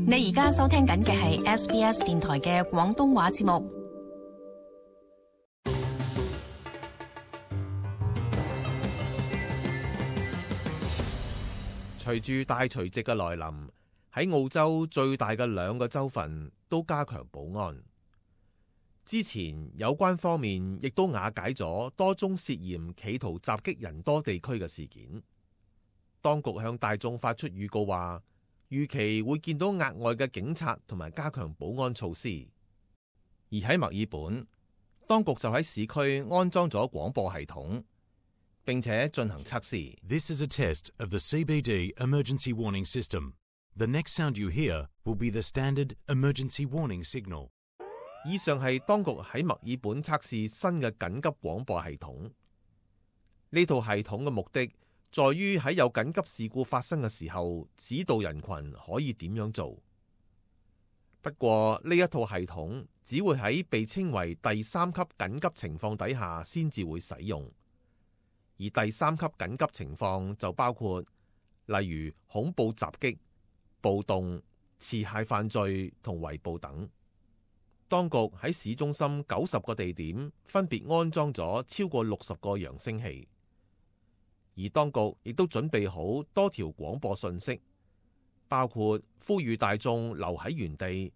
你而家收聽緊嘅係 SBS 電台嘅廣東話節目。隨住大除夕嘅來臨，喺澳洲最大嘅兩個州份都加強保安。之前有關方面亦都瓦解咗多宗涉嫌企圖襲擊人多地區嘅事件。當局向大眾發出預告話，預期會見到額外嘅警察同埋加強保安措施。而喺墨爾本，當局就喺市區安裝咗廣播系統，並且進行測試。This is a test of the CBD emergency warning system. The next sound you hear will be the standard emergency warning signal. 以上係當局喺墨爾本測試新嘅緊急廣播系統。呢套系統嘅目的在於喺有緊急事故發生嘅時候，指導人群可以點樣做。不過呢一套系統只會喺被稱為第3級緊急情況底下先至會使用，而第3級緊急情況就包括例如恐怖襲擊、暴動、持械犯罪同圍捕等。當局喺市中心90個地點分別安裝咗超過60個揚聲器，而當局亦都準備好多條廣播訊息，包括呼籲大眾留喺原地，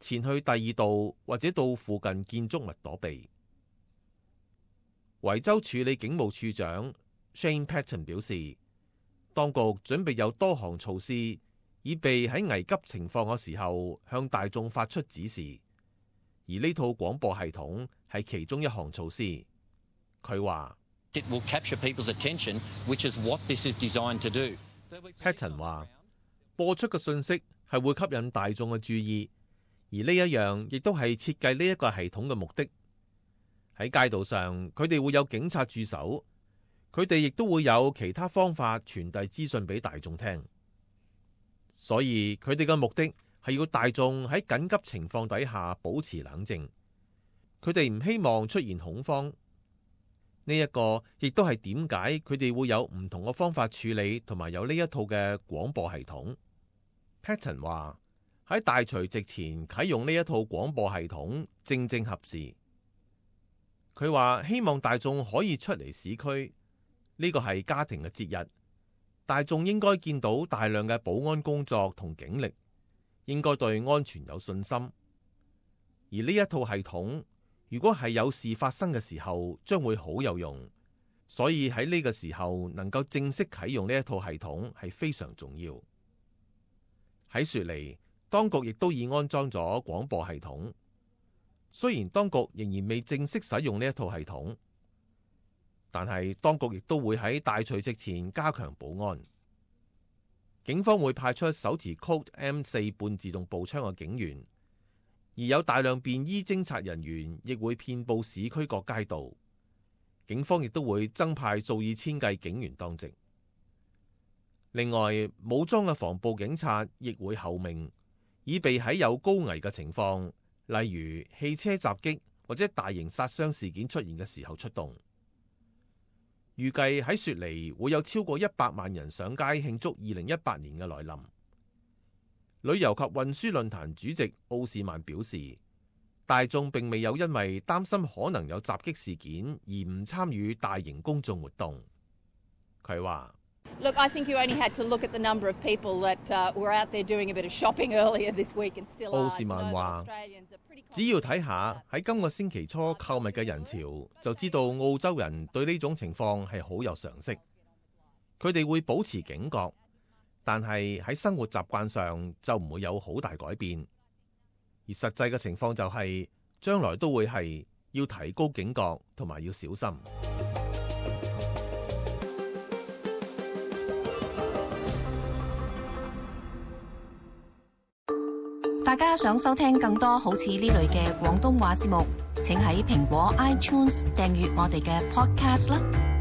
前去第二度或者到附近建築物躲避。維州處理警務處長 Shane Patton 表示，當局準備有多項措施，以備喺危急情況嘅時候向大眾發出指示。而呢套廣播系統係其中一項措施。佢話 It will capture people's attention, which is what this is designed to do. Patton 話播出嘅信息係會吸引大眾嘅注意，而呢一樣亦都係設計呢一個系統嘅目的。喺街道上，佢哋會有警察駐守，佢哋亦都會有其他方法傳遞資訊俾大眾聽。所以佢哋嘅目的係要大眾喺緊急情況底下保持冷靜，佢哋唔希望出現恐慌。呢一個亦都係點解佢哋會有唔同嘅方法處理，同埋有呢一套嘅廣播系統。Patton 話喺大除夕前啟用呢一套廣播系統正正合時。佢話希望大眾可以出嚟市區，呢個係家庭嘅節日，大眾應該見到大量嘅保安工作同警力，應該對安全有信心。而呢一套系統如果係有事發生嘅時候，將會好有用。所以喺呢個時候能夠正式啟用呢一套系統係非常重要。喺雪梨，當局亦都已安裝咗廣播系統。雖然當局仍然未正式使用呢一套系統，但係當局亦都會喺大除夕前加強保安。警方會派出手持 Colt M4 半自動步槍嘅警員，而有大量便衣偵察人員亦會遍佈市區各街道。警方亦都會增派數以千計警員當值。另外，武裝嘅防暴警察亦會候命，以備喺有高危嘅情況，例如汽車襲擊或者大型殺傷事件出現嘅時候出動。預計喺雪梨會有超過100萬人上街慶祝2018年嘅來臨。旅遊及運輸論壇主席奧士曼表示，大眾並未有因為擔心可能有襲擊事件而唔參與大型公眾活動。佢話：Look, I think you only had to look at the number of people that were out there doing a bit of shopping earlier this week and still are. 奧士曼話：只要睇下喺今個星期初購物嘅人潮，就知道澳洲人對呢種情況係好有常識。佢哋會保持警覺，但係喺生活習慣上就唔會有好大改變。而實際嘅情況就係，將來都會係要提高警覺同埋要小心。大家想收聽更多好似呢類嘅廣東話節目，請喺蘋果 iTunes 訂閱我哋嘅 podcast 啦。